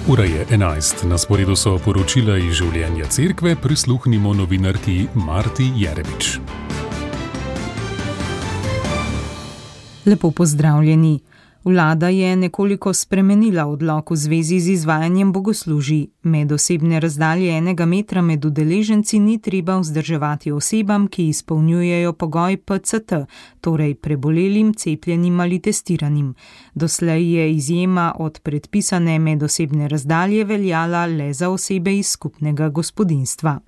Ura je 11, na sporedu so poročila iz življenja cerkve, prisluhnimo novinarki Marti Jeremič. Lepo pozdravljeni. Vlada je nekoliko spremenila odlok v zvezi z izvajanjem bogoslužij. Medosebne razdalje 1 metra med udeleženci ni treba vzdrževati osebam, ki izpolnjujejo pogoj PCT, torej prebolelim, cepljenim ali testiranim. Doslej je izjema od predpisane medosebne razdalje veljala le za osebe iz skupnega gospodinjstva.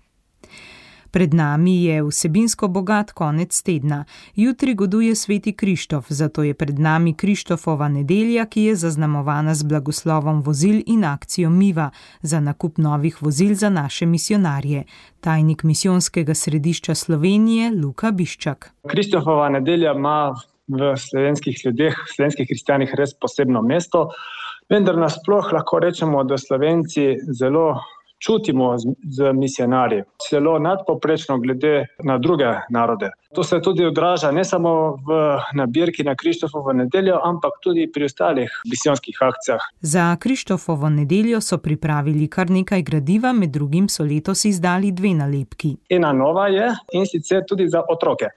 Pred nami je vsebinsko bogat konec tedna. Jutri goduje sveti Krištof, zato je pred nami Krištofova nedelja, ki je zaznamovana z blagoslovom vozil in akcijo Miva za nakup novih vozil za naše misijonarje. Tajnik misijonskega središča Slovenije Luka Biščak. Krištofova nedelja ima v slovenskih ljudeh, v slovenskih kristijanih res posebno mesto, vendar nasploh lahko rečemo, da Slovenci zelo čutimo z misijonarji, celo nadpovprečno glede na druge narode. To se tudi odraža ne samo v nabirki na Krištofovo nedeljo, ampak tudi pri ostalih misijonskih akcijah. Za Krištofovo nedeljo so pripravili kar nekaj gradiva, med drugim so letos izdali 2 nalepki. Ena nova je, in sicer tudi za otroke.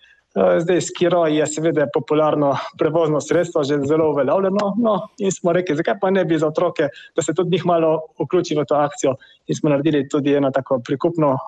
Zdaj skiro je seveda popularno prevozno sredstvo, že zelo uveljavljeno, in smo rekli, zakaj pa ne bi za otroke, da se tudi njih malo vključi v to akcijo, in smo naredili tudi eno tako prikupno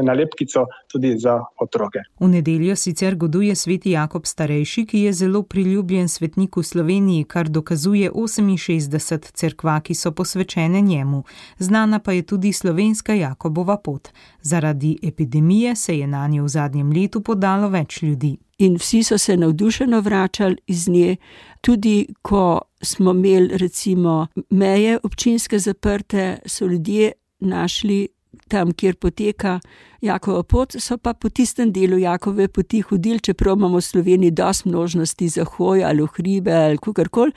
nalepkico tudi za otroke. V nedeljo sicer goduje sveti Jakob starejši, ki je zelo priljubljen svetnik v Sloveniji, kar dokazuje 68 cerkva, ki so posvečene njemu. Znana pa je tudi slovenska Jakobova pot. Zaradi epidemije se je nanje v zadnjem letu podalo več ljudi. In vsi so se navdušeno vračali iz nje, tudi ko smo imeli recimo meje občinske zaprte, so ljudje našli tam, kjer poteka Jakova pot, so pa po tistem delu Jakove poti hodili, čeprav imamo v Sloveniji dosti možnosti za hojo ali v hribe ali kakorkoli,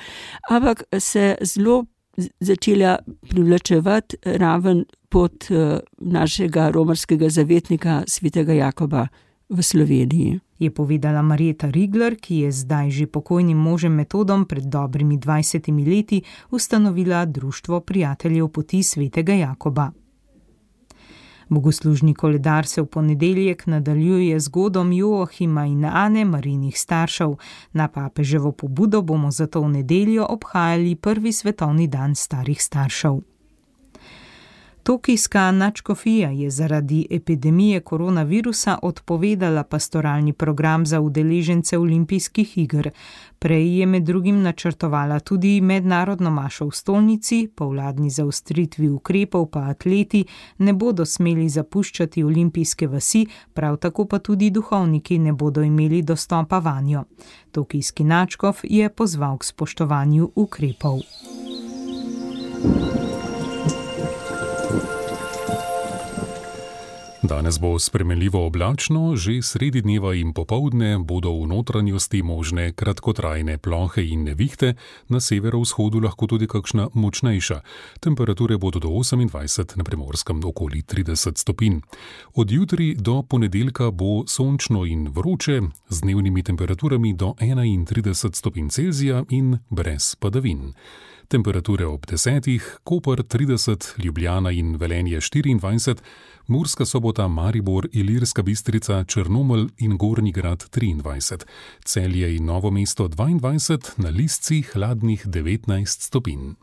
ampak se zelo začela privlačevati raven pot našega romarskega zavetnika svetega Jakoba v Sloveniji. Je povedala Marjeta Rigler, ki je zdaj že pokojnim možem Metodom pred dobrimi 20 leti ustanovila Društvo prijateljev poti svetega Jakoba. Bogoslužni koledar se v ponedeljek nadaljuje z godom Joachima in Ane, Marijinih staršev. Na papeževo pobudo bomo zato v nedeljo obhajali prvi svetovni dan starih staršev. Tokijska nadškofija je zaradi epidemije koronavirusa odpovedala pastoralni program za udeležence olimpijskih iger. Prej je med drugim načrtovala tudi mednarodno mašo v stolnici, po vladni zaostritvi ukrepov pa atleti ne bodo smeli zapuščati olimpijske vasi, prav tako pa tudi duhovniki ne bodo imeli dostopa vanjo. Tokijski nadškof je pozval k spoštovanju ukrepov. Danes bo spremenljivo oblačno, že sredi dneva in popoldne bodo v notranjosti možne kratkotrajne plohe in nevihte, na severovzhodu lahko tudi kakšna močnejša. Temperature bodo do 28, na Primorskem okoli 30 stopinj. Od jutri do ponedeljka bo sončno in vroče, z dnevnimi temperaturami do 31 stopinj Celzija in brez padavin. Temperature ob 10, Koper 30, Ljubljana in Velenje 24, Murska Sobota, Maribor, Ilirska Bistrica, Črnomelj in Gornji Grad 23, Celje in Novo mesto 22, na Lisci hladnih 19 stopinj.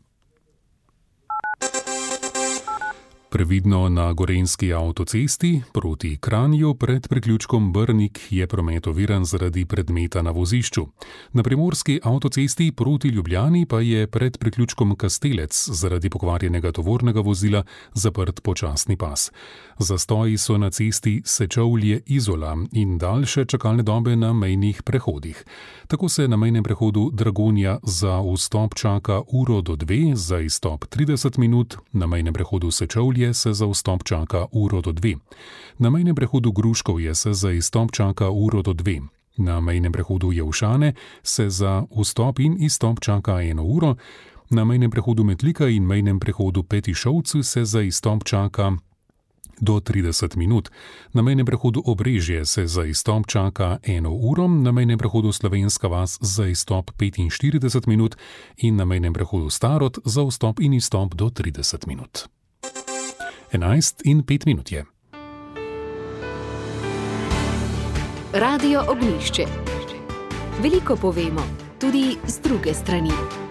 Previdno na gorenjski avtocesti proti Kranju pred priključkom Brnik je promet oviran zaradi predmeta na vozišču. Na primorski avtocesti proti Ljubljani pa je pred priključkom Kastelec zaradi pokvarjenega tovornega vozila zaprt počasni pas. Zastoji so na cesti Sečovlje-Izola in daljše čakalne dobe na mejnih prehodih. Tako se na mejnem prehodu Dragonja za vstop čaka uro do 2, za izstop 30 minut, na mejnem prehodu Sečovlje se za vstop čaka uro do 2. Na mejnem prehodu Gruškovje se za izstop čaka uro do 2. Na mejnem prehodu Jelšane se za vstop in izstop čaka 1 uro. Na mejnem prehodu Metlika in mejnem prehodu Petišovci se za izstop čaka do 30 minut. Na mejnem prehodu Obrežje se za izstop čaka 1 uro, na mejnem prehodu Slovenska vas za izstop 45 minut in na mejnem prehodu Starod za vstop in izstop do 30 minut. 11:05 je. Radio Ognjišče. Veliko povemo, tudi z druge strani.